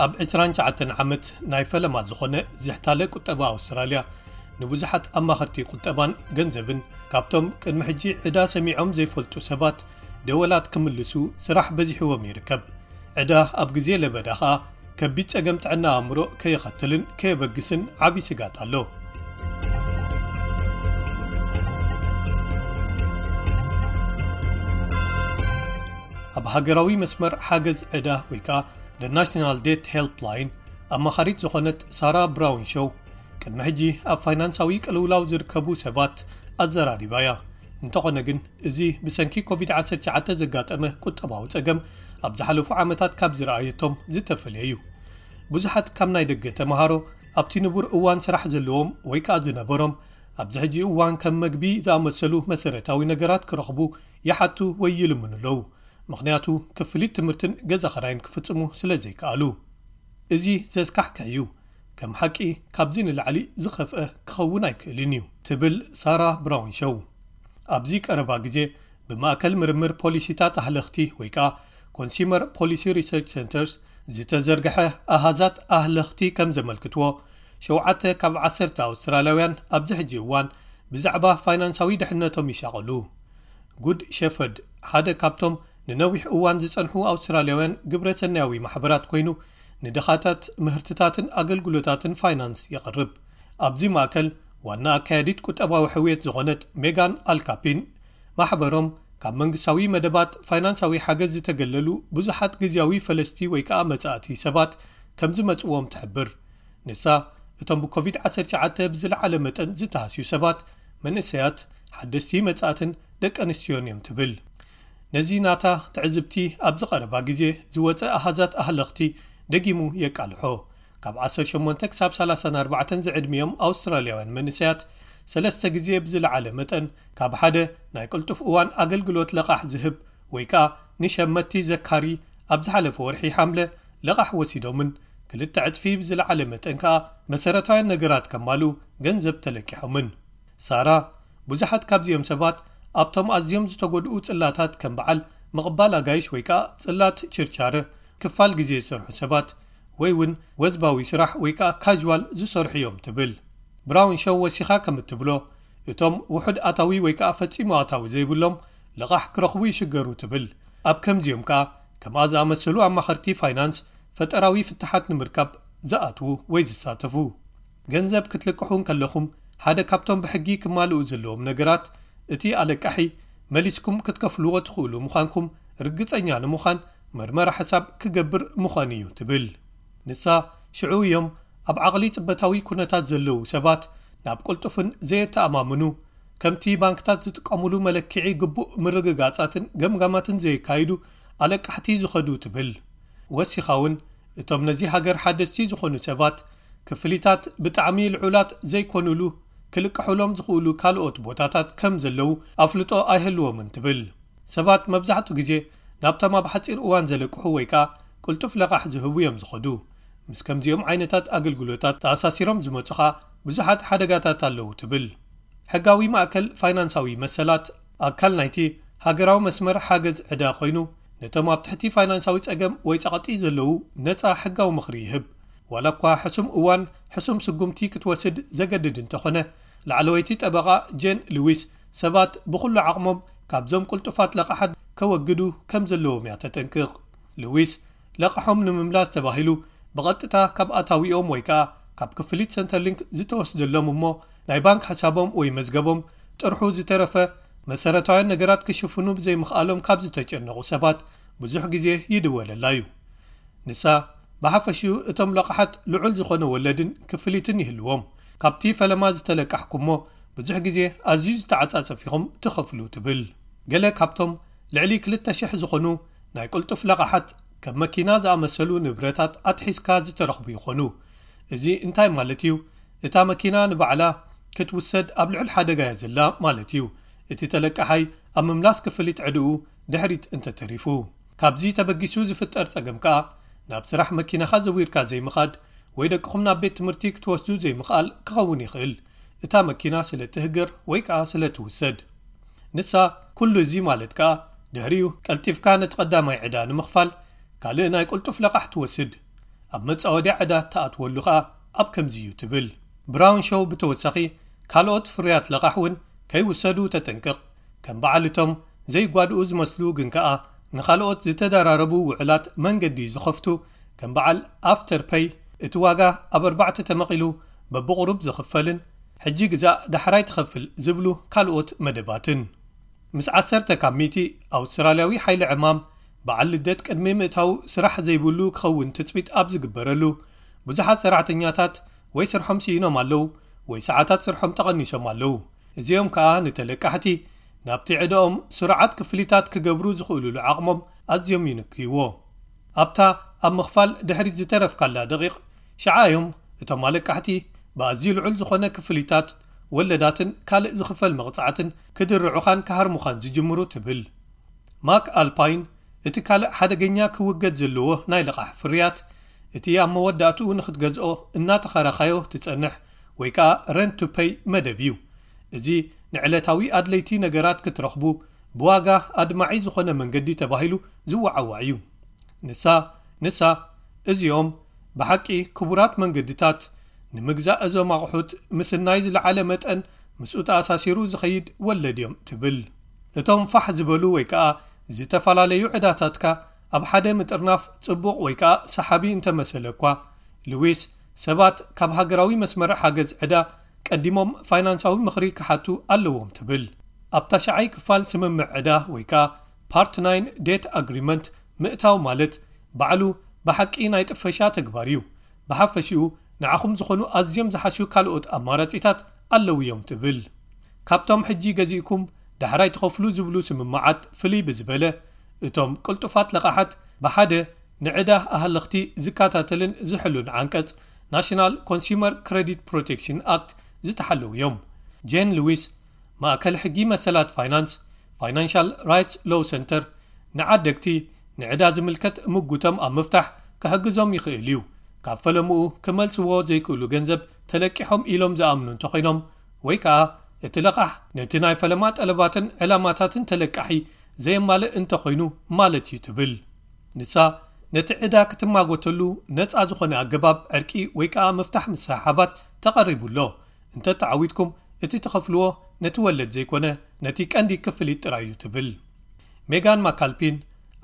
ኣብ ዕስራን ትሽዓተን ዓመት ናይ ፈለማ ዝኾነ ዝሕታለ ቁጠባ ኣውስትራልያ፣ ንብዙሓት ኣማኸርቲ ቁጠባን ገንዘብን፣ ካብቶም ቅድሚ ሕጂ ዕዳ ሰሚዖም ዘይፈልጡ ሰባት፣ ደወላት ክምልሱ ስራሕ በዚሕዎም ይርከብ። ዕዳ ኣብ ግዜ ለበዳ ኸኣ ከቢድ ጸገም ጥዕና ኣእምሮ ከየኸትልን ከየበግስን ዓቢ ስጋት ኣሎ። ኣብ ሃገራዊ መስመር ሓገዝ ዕዳ ወይ ከኣ The National Debt Helpline ኣማኻሪት ዝኾነት ሳራ ብራውን ሾው፣ ቅድሚ ሕጂ ኣብ ፋይናንሳዊ ቅልውላው ዝርከቡ ሰባት ኣዘራሪባ እያ። እንተኾነ ግን፣ እዚ ብሰንኪ ኮቪድ ዓሰርተ ትሽዓተ ዘጋጠመ ቁጠባዊ ጸገም ኣብ ዝሓለፉ ዓመታት ካብ ዝረኣየቶም ዝተፈልየ እዩ። ብዙሓት ካብ ናይ ደገ ተመሃሮ፣ ኣብቲ ንቡር እዋን ስራሕ ዘለዎም ወይ ከኣ ዝነበሮም፣ ኣብዚ ሕጂ እዋን ከም መግቢ ዝኣመሰሉ መሰረታዊ ነገራት ክረኽቡ ይሓቱ ወይ ይልምኑ ኣለዉ። ምኽንያቱ፣ ክፍሊት ትምህርትን ገዛ ኽራይን ክፍጽሙ ስለ ዘይከኣሉ። እዚ ዘስካሕክሕ እዩ። ከም ሓቂ፣ ካብዚ ንላዕሊ ዝኸፍአ ክኸውን ኣይክእልን እዩ፣ ትብል ሳራ ብራውን ሾው። ኣብዚ ቀረባ ግዜ ብማእከል ምርምር ፖሊሲታት ኣህለኽቲ ወይ ከኣ ኮንሱመር ፖሊሲ ሪሰርች ሰንተርስ ዝተዘርግሐ ኣሃዛት ኣህለኽቲ ከም ዘመልክትዎ፣ ሸውዓተ ካብ ዓሰርተ ኣውስትራልያውያን ኣብዚ ሕጂ እዋን ብዛዕባ ፋይናንሳዊ ድሕነቶም ይሻቐሉ። ጉድ ሸፈርድ ሓደ ካብቶም ንነዊሕ እዋን ዝጸንሑ ኣውስትራልያውያን ግብረ ሰናያዊ ማሕበራት ኮይኑ፣ ንድኻታት ምህርትታትን ኣገልግሎታትን ፋይናንስ የቕርብ። ኣብዚ ማእከል ዋና ኣካያዲት ቁጠባዊ ሕውየት ዝኾነት ሜጋን ኣልካፒን፣ ማሕበሮም ካብ መንግስታዊ መደባት ፋይናንሳዊ ሓገዝ ዝተገለሉ ብዙሓት ግዝያዊ ፈለስቲ ወይ ከኣ መጻእቲ ሰባት ከም ዝመጽዎም ትሕብር። ንሳ፣ እቶም ብኮቪድ ዓሰርተ ትሽዓተ ብዝለዓለ መጠን ዝተሃስዩ ሰባት፣ መንእሰያት፣ ሓደስቲ መጻእትን ደቂ ኣንስትዮን እዮም ትብል። ነዚ ናታ ትዕዝብቲ ኣብ ዝቐረባ ግዜ ዝወጸ ኣሃዛት ኣህለኽቲ ደጊሙ የቃልሖ። ካብ ዓሰርተ ሸሞንተ ክሳብ ሰላሳን ኣርባዕተን ዝዕድሚኦም ኣውስትራልያውያን መንእሰያት፣ ሰለስተ ግዜ ብዝለዓለ መጠን ካብ ሓደ ናይ ቅልጡፍ እዋን ኣገልግሎት ለቓሕ ዝህብ ወይ ከኣ ንሸመቲ ዘካሪ ኣብ ዝሓለፈ ወርሒ ሓምለ ለቓሕ ወሲዶምን፣ ክልተ ዕጽፊ ብዝለዓለ መጠን ከኣ መሰረታውያን ነገራት ከማልኡ ገንዘብ ተለቂሖምን። ሳራ፣ ብዙሓት ካብዚኦም ሰባት ኣብቶም ኣዝዮም ዝተጎድኡ ጽላታት ከም በዓል ምቕባል ኣጋይሽ ወይ ከኣ ጽላት ችርቻረ፣ ክፋል ግዜ ዝሰርሑ ሰባት፣ ወይ እውን ወዝባዊ ስራሕ ወይ ከኣ ካዥዋል ዝሰርሑ እዮም ትብል። ብራውን ሾው ወሲኻ ከም እትብሎ፣ እቶም ውሑድ ኣታዊ ወይ ከኣ ፈጺሙ ኣታዊ ዘይብሎም ልቓሕ ክረኽቡ ይሽገሩ ትብል። ኣብ ከምዚኦም ከኣ ከምኣ ዝኣመሰሉ ኣማኸርቲ ፋይናንስ ፈጠራዊ ፍታሓት ንምርካብ ዝኣትዉ ወይ ዝሳተፉ። ገንዘብ ክትልቅሑ እንከለኹም፣ ሓደ ካብቶም ብሕጊ ክማልኡ ዘለዎም ነገራት፣ እቲ ኣለቃሒ መሊስኩም ክትከፍልዎ ትኽእሉ ምዃንኩም ርግጸኛ ንምዃን መርመራ ሕሳብ ክገብር ምዃኑ እዩ ትብል። ንሳ፣ ሽዑ እዮም ኣብ ዓቕሊ ጽበታዊ ኩነታት ዘለዉ ሰባት ናብ ቅልጡፍን ዘየተኣማምኑ፣ ከምቲ ባንክታት ዝጥቀሙሉ መለክዒ ግቡእ ምርግጋጻትን ገምጋማትን ዘየካይዱ ኣለቃሕቲ ዝኸዱ ትብል። ወሲኻ እውን፣ እቶም ነዚ ሃገር ሓደስቲ ዝኾኑ ሰባት፣ ክፍሊታት ብጣዕሚ ልዑላት ዘይኮኑሉ ክልቅሑሎም ዝኽእሉ ካልኦት ቦታታት ከም ዘለዉ ኣፍልጦ ኣይህልዎምን ትብል። ሰባት መብዛሕትኡ ግዜ ናብቶም ኣብ ሓጺር እዋን ዘለቅሑ ወይ ከኣ ቅልጡፍ ለቓሕ ዝህቡ እዮም ዝኸዱ። ምስ ከምዚኦም ዓይነታት ኣገልግሎታት ተኣሳሲሮም ዝመጹ ኸኣ ብዙሓት ሓደጋታት ኣለዉ ትብል። ሕጋዊ ማእከል ፋይናንሳዊ መሰላት ኣካል ናይቲ ሃገራዊ መስመር ሓገዝ ዕዳ ኮይኑ፣ ነቶም ኣብ ትሕቲ ፋይናንሳዊ ጸገም ወይ ጸቕጢ ዘለዉ ነጻ ሕጋዊ ምኽሪ ይህብ። ዋላ እኳ ሕሱም እዋን ሕሱም ስጉምቲ ክትወስድ ዘገድድ እንተኾነ፣ ላዕለወይቲ ጠበቓ ጄን ልዊስ ሰባት ብኹሉ ዓቕሞም ካብዞም ቅልጡፋት ለቓሓት ከወግዱ ከም ዘለዎም እያ ተጠንቅቕ። ልዊስ፣ ለቓሖም ንምምላስ ተባሂሉ ብቐጥታ ካብ ኣታዊኦም ወይ ከኣ ካብ ክፍሊት ሰንተርሊንክ ዝተወስደሎም እሞ ናይ ባንክ ሕሳቦም ወይ መዝገቦም ጥርሑ ዝተረፈ መሰረታውያን ነገራት ክሽፍኑ ብዘይምኽኣሎም ካብ ዝተጨነቑ ሰባት ብዙሕ ግዜ ይድወለላ እዩ። ንሳ፣ ብሓፈሽኡ እቶም ለቓሓት ልዑል ዝኾነ ወለድን ክፍሊትን ይህልዎም። ካብቲ ፈለማ ዝተለቃሕኩሞ ብዙሕ ግዜ ኣዝዩ ዝተዓጻጸፍ ኢኹም ትኸፍሉ ትብል። ገለ ካብቶም ልዕሊ ክልተ ሽሕ ዝኾኑ ናይ ቅልጡፍ ለቓሓት ከም መኪና ዝኣመሰሉ ንብረታት ኣትሒዝካ ዝተረኽቡ ይኾኑ። እዚ እንታይ ማለት እዩ? እታ መኪና ንባዕላ ክትውሰድ ኣብ ልዑል ሓደጋ እያ ዘላ ማለት እዩ። እቲ ተለቃሓይ ኣብ ምምላስ ክፍሊት ዕድኡ ድሕሪት እንተተሪፉ። ካብዚ ተበጊሱ ዝፍጠር ጸገም ከኣ ናብ ስራሕ መኪናኻ ዘዊርካ ዘይምኻድ ወይ ደቅኹም ናብ ቤት ትምህርቲ ክትወስዱ ዘይምኽኣል ክኸውን ይኽእል፣ እታ መኪና ስለ ትህገር ወይ ከኣ ስለ ትውሰድ። ንሳ፣ ኩሉ እዚ ማለት ከኣ ድሕሪኡ ቀልጢፍካ ነቲ ቀዳማይ ዕዳ ንምኽፋል ካልእ ናይ ቅልጡፍ ለቓሕ ትወስድ። ኣብ መጻወድያ ዕዳ ትኣትወሉ ከኣ ኣብ ከምዚ እዩ ትብል። ብራውን ሾው ብተወሳኺ ካልኦት ፍርያት ለቓሕ እውን ከይውሰዱ ተጠንቅቕ። ከም በዓል እቶም ዘይጓድኡ ዝመስሉ ግን ከኣ ንኻልኦት ዝተደራረቡ ውዕላት መንገዲ ዝኸፍቱ ከም በዓል ኣፍተር ፐይ እቲ ዋጋ ኣብ ኣርባዕተ ተመቒሉ በብቑሩብ ዝኽፈልን ሕጂ ግዛእ ዳሕራይ ትኸፍል ዝብሉ ካልኦት መደባትን። ምስ ዓሰርተ ካብ ሚእቲ ኣውስትራልያዊ ሓይሊ ዕማም በዓል ልደት ቅድሚ ምእታው ስራሕ ዘይብሉ ክኸውን ትጽቢት ኣብ ዝግበረሉ ብዙሓት ሰራሕተኛታት ወይ ስርሖም ስኢኖም ኣለዉ ወይ ሰዓታት ስርሖም ተቐኒሶም ኣለዉ። እዚኦም ከኣ ንተለቃሕቲ ናብቲ ዕዳኦም ስሩዓት ክፍሊታት ክገብሩ ዝኽእሉሉ ዓቕሞም ኣዝዮም ይንክይዎ። ኣብታ ኣብ ምኽፋል ድሕሪት ዝተረፍካላ ደቂቕ ሽዓ እዮም እቶም ኣለቃሕቲ ብኣዝዩ ልዑል ዝኾነ ክፍሊታት ወለዳትን ካልእ ዝኽፈል መቕጻዕትን ክድርዑኻን ክሃርሙኻን ዝጅምሩ ትብል። ማክ ኣልፓይን እቲ ካልእ ሓደገኛ ክውገድ ዘለዎ ናይ ልቓሕ ፍርያት እቲ ኣብ መወዳእትኡ ንኽትገዝኦ እናተኸራኻዮ ትጸንሕ ወይ ከኣ ረንት ቱ ፐይ መደብ እዩ። እዚ ንዕለታዊ ኣድለይቲ ነገራት ክትረኽቡ ብዋጋ ኣድማዒ ዝኾነ መንገዲ ተባሂሉ ዝወዓዋዕ እዩ። ንሳ ንሳ እዚኦም ብሓቂ ክቡራት መንገድታት ንምግዛእ እዞም ኣቑሑት ምስናይ ዝለዓለ መጠን ምስኡ ተኣሳሲሩ ዝኸይድ ወለድ እዮም ትብል። እቶም ፋሕ ዝበሉ ወይ ከኣ ዝተፈላለዩ ዕዳታትካ ኣብ ሓደ ምጥርናፍ ጽቡቕ ወይ ከኣ ሰሓቢ እንተመሰለ እኳ፣ ልዊስ ሰባት ካብ ሃገራዊ መስመር ሓገዝ ዕዳ ቀዲሞም ፋይናንሳዊ ምኽሪ ክሓቱ ኣለዎም ትብል። ኣብ ታሽዓይ ክፋል ስምምዕ ዕዳ ወይ ከኣ ፓርት ናይን ዴት ኣግሪመንት ምእታው ማለት ባዕሉ ብሓቂ ናይ ጥፈሻ ተግባር እዩ። ብሓፈሽኡ ንዓኹም ዝኾኑ ኣዝዮም ዝሓሹ ካልኦት ኣማራጺታት ኣለዉ እዮም ትብል። ካብቶም ሕጂ ገዚእኩም ዳሕራይ ትኸፍሉ ዝብሉ ስምምዓት ፍልይ ብዝበለ፣ እቶም ቅልጡፋት ለቓሓት ብሓደ ንዕዳ ኣሃለኽቲ ዝከታተልን ዝሕሉን ዓንቀጽ ናሽናል ኮንሱመር ክረዲት ፕሮቴክሽን ኣክት ዝተሓለዉ እዮም። ጄን ሉዊስ፣ ማእከል ሕጊ መሰላት ፋይናንስ፣ ፋይናንሻል ራይትስ ሎው ሰንተር፣ ንዓደግቲ ንዕዳ ዝምልከት ምጉቶም ኣብ ምፍታሕ ክሕግዞም ይኽእል እዩ። ካብ ፈለምኡ ክመልስዎ ዘይክእሉ ገንዘብ ተለቂሖም ኢሎም ዝኣምኑ እንተኾይኖም ወይ ከኣ እቲ ለቓሕ ነቲ ናይ ፈለማ ጠለባትን ዕላማታትን ተለቃሒ ዘየማልእ እንተኾይኑ ማለት እዩ ትብል። ንሳ ነቲ ዕዳ ክትማጎተሉ ነጻ ዝኾነ ኣገባብ ዕርቂ ወይ ከኣ ምፍታሕ ምስሕሓባት ተቐሪቡ ኣሎ። እንተተዓዊትኩም እቲ ትኸፍልዎ ነቲ ወለድ ዘይኮነ ነቲ ቀንዲ ክፍሊት ጥራይ እዩ ትብል። ሜጋን ማካልፒን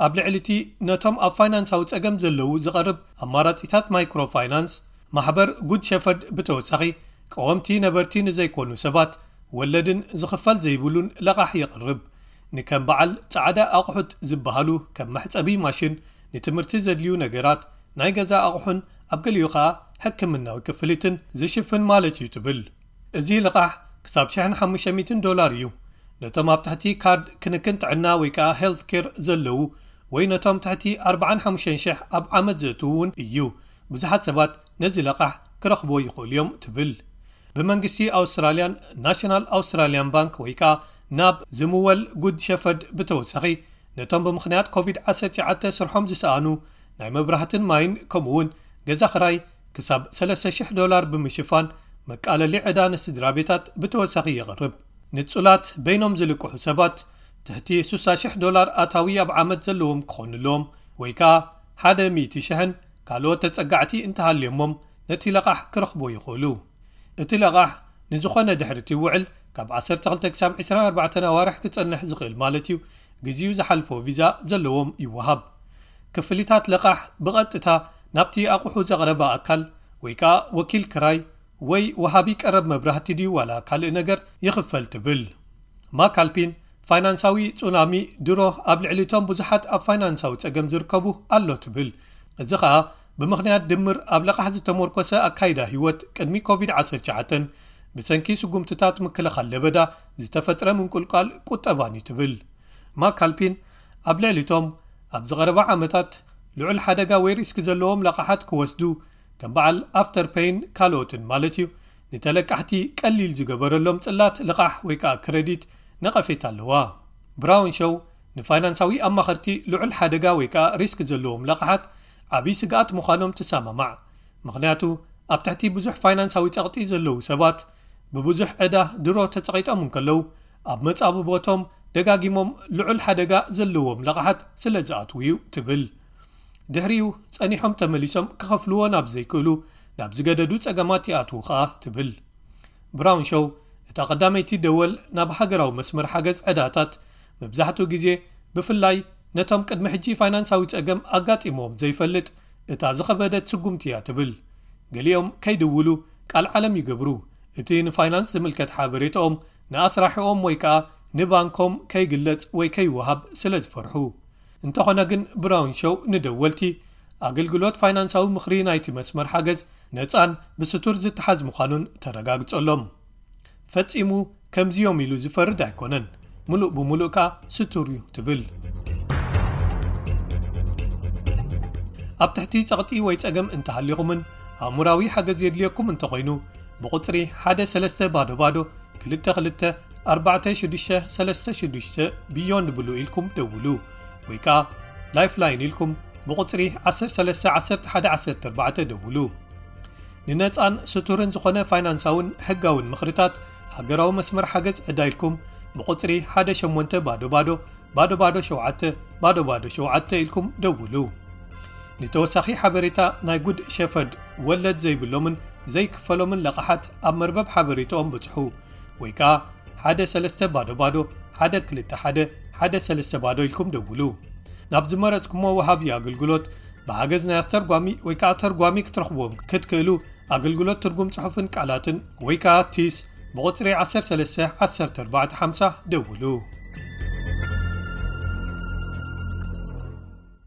ኣብ ልዕሊ እቲ ነቶም ኣብ ፋይናንሳዊ ጸገም ዘለዉ ዝቐርብ ኣማራጺታት ማይክሮ ፋይናንስ ማሕበር ጉድ ሸፈርድ ብተወሳኺ ቀወምቲ ነበርቲ ንዘይኮኑ ሰባት ወለድን ዝኽፈል ዘይብሉን ለቓሕ የቕርብ። ንከም በዓል ጻዕዳ ኣቑሑት ዝበሃሉ ከም መሕጸቢ ማሽን፣ ንትምህርቲ ዘድልዩ ነገራት፣ ናይ ገዛ ኣቑሑን ኣብ ገሊኡ ኸኣ ሕክምናዊ ክፍሊትን ዝሽፍን ማለት እዩ ትብል። እዚ ልቓሕ ክሳብ ሽሕን ሓሙሽተ ሚእትን ዶላር እዩ። ነቶም ኣብ ትሕቲ ካርድ ክንክን ጥዕና ወይ ከኣ ሄልት ኬር ዘለዉ ወይ ነቶም ትሕቲ ኣርባዓን ሓሙሽተን ሽሕ ኣብ ዓመት ዘእትዉ እውን እዩ። ብዙሓት ሰባት ነዚ ለቓሕ ክረኽብዎ ይኽእሉ እዮም ትብል። ብመንግስቲ ኣውስትራልያን ናሽናል ኣውስትራልያን ባንክ ወይ ከኣ ናብ ዝምወል ጉድ ሸፈርድ ብተወሳኺ ነቶም ብምኽንያት ኮቪድ ዓሰርተ ትሽዓተ ስርሖም ዝሰኣኑ ናይ መብራህትን ማይን ከምኡ እውን ገዛ ኽራይ ክሳብ ሰለስተ ሽሕ ዶላር ብምሽፋን መቃለሊ ዕዳ ንስድራ ቤታት ብተወሳኺ የቕርብ። ንጹላት በይኖም ዝልቅሑ ሰባት ትሕቲ ስሳ ሽሕ ዶላር ኣታዊ ኣብ ዓመት ዘለዎም ክኾኑ ኣለዎም ወይ ከኣ ሓደ ሚእቲ ሽሕን ካልኦት ተጸጋዕቲ እንተሃልዮሞም ነቲ ለቓሕ ክረኽቦ ይኽእሉ። እቲ ለቓሕ ንዝኾነ ድሕሪ እቲ ውዕል ካብ ዓሰርተ ክልተ ክሳብ ዕስራን ኣርባዕተን ኣዋርሕ ክጸንሕ ዝኽእል ማለት እዩ። ግዜኡ ዝሓልፎ ቪዛ ዘለዎም ይወሃብ። ክፍሊታት ለቓሕ ብቐጥታ ናብቲ ኣቑሑ ዘቕረበ ኣካል ወይ ከኣ ወኪል ክራይ ወይ ወሃቢ ቀረብ መብራህቲ ድዩ ዋላ ካልእ ነገር ይኽፈል ትብል። ማካልፒን ፋይናንሳዊ ጹናሚ ድሮ ኣብ ልዕሊ እቶም ብዙሓት ኣብ ፋይናንሳዊ ጸገም ዝርከቡ ኣሎ ትብል። እዚ ኸኣ ብምኽንያት ድምር ኣብ ለቓሕ ዝተመርኮሰ ኣካይዳ ህይወት ቅድሚ ኮቪድ ዓሰርተ ትሽዓተ ብሰንኪ ስጉምትታት ምክልኻል ለበዳ ዝተፈጥረ ምንቁልቋል ቁጠባን እዩ ትብል። ማካልፒን ኣብ ልዕሊ እቶም ኣብ ዝቐረባ ዓመታት ልዑል ሓደጋ ወይ ሪስክ ዘለዎም ለቓሓት ክወስዱ ከም በዓል ኣፍተር ፔይን ካልኦትን ማለት እዩ ንተለቃሕቲ ቀሊል ዝገበረሎም ጽላት ልቓሕ ወይ ከኣ ክረዲት ነቐፌታ ኣለዋ። ብራውን ሾው ንፋይናንሳዊ ኣማኸርቲ ልዑል ሓደጋ ወይ ከኣ ሪስክ ዘለዎም ለቓሓት ዓብዪ ስግኣት ምዃኖም ትሰማማዕ። ምኽንያቱ ኣብ ትሕቲ ብዙሕ ፋይናንሳዊ ጸቕጢ ዘለዉ ሰባት ብብዙሕ ዕዳ ድሮ ተጸቒጦም እንከለዉ ኣብ መጻብቦቶም ደጋጊሞም ልዑል ሓደጋ ዘለዎም ለቓሓት ስለ ዝኣትዉ እዩ ትብል። ድሕሪኡ ጸኒሖም ተመሊሶም ክኸፍልዎ ናብ ዘይክእሉ ናብ ዝገደዱ ጸገማት ይኣትዉ ከኣ ትብል። ብራውን ሾው እታ ቀዳመይቲ ደወል ናብ ሃገራዊ መስመር ሓገዝ ዕዳታት መብዛሕትኡ ግዜ ብፍላይ ነቶም ቅድሚ ሕጂ ፋይናንሳዊ ጸገም ኣጋጢምዎም ዘይፈልጥ እታ ዝኸበደት ስጉምቲ እያ ትብል። ገሊኦም ከይድውሉ ቃል ዓለም ይገብሩ፣ እቲ ንፋይናንስ ዝምልከት ሓበሬታኦም ንኣስራሒኦም ወይ ከኣ ንባንኮም ከይግለጽ ወይ ከይወሃብ ስለ ዝፈርሑ። እንተኾነ ግን ብራውን ሾው ንደወልቲ ኣገልግሎት ፋይናንሳዊ ምኽሪ ናይቲ መስመር ሓገዝ ነጻን ብስቱር ዝተሓዝ ምዃኑን ተረጋግጸሎም። ፈጺሙ ከምዚዮም ኢሉ ዝፈርድ ኣይኮነን፣ ምሉእ ብምሉእ ከኣ ስቱር እዩ ትብል። ኣብ ትሕቲ ጸቕጢ ወይ ጸገም እንተሃሊኹምን ኣእሙራዊ ሓገዝ የድልየኩም እንተኾይኑ ብቁጽሪ ሓደ ሰለስተ ባዶ ባዶ ክልተ ክልተ ኣርባዕተ ሽዱሽተ ሰለስተ ሽዱሽተ ብዮንድ ብሉ ኢልኩም ደውሉ ወይ ከኣ ላይፍላይን ኢልኩም ብቁጽሪ ዓሰርተ ሰለስተ ዓሰርተ ሓደ ዓሰርተ ኣርባዕተ ደውሉ። ንነጻን ስቱርን ዝኾነ ፋይናንሳውን ሕጋውን ምኽርታት ሃገራዊ መስመር ሓገዝ ዕዳ ኢልኩም ብቁጽሪ ሓደ ሸሞንተ ባዶ ባዶ ባዶ ባዶ ሸውዓተ ባዶ ባዶ ሸውዓተ ኢልኩም ደውሉ። ንተወሳኺ ሓበሬታ ናይ ጉድ ሸፈርድ ወለድ ዘይብሎምን ዘይክፈሎምን ለቓሓት ኣብ መርበብ ሓበሬታኦም ብጽሑ ወይ ከኣ ሓደ ሰለስተ ባዶ ባዶ ሓደ ክልተ ሓደ ሓደ ሰለስተ ባዶ ኢልኩም ደውሉ። ናብ ዝመረጽኩሞ ወሃቢ ኣገልግሎት ብሓገዝ ናይ ኣስተርጓሚ ወይ ከኣ ተርጓሚ ክትረኽብዎም ክትክእሉ ኣገልግሎት ትርጉም ጽሑፍን ቃላትን ወይ ከኣ ቲስ ብቁጽሪ ዓሰርተ ሰለስተ ዓሰርተ ኣርባዕተ ሓምሳ ደውሉ።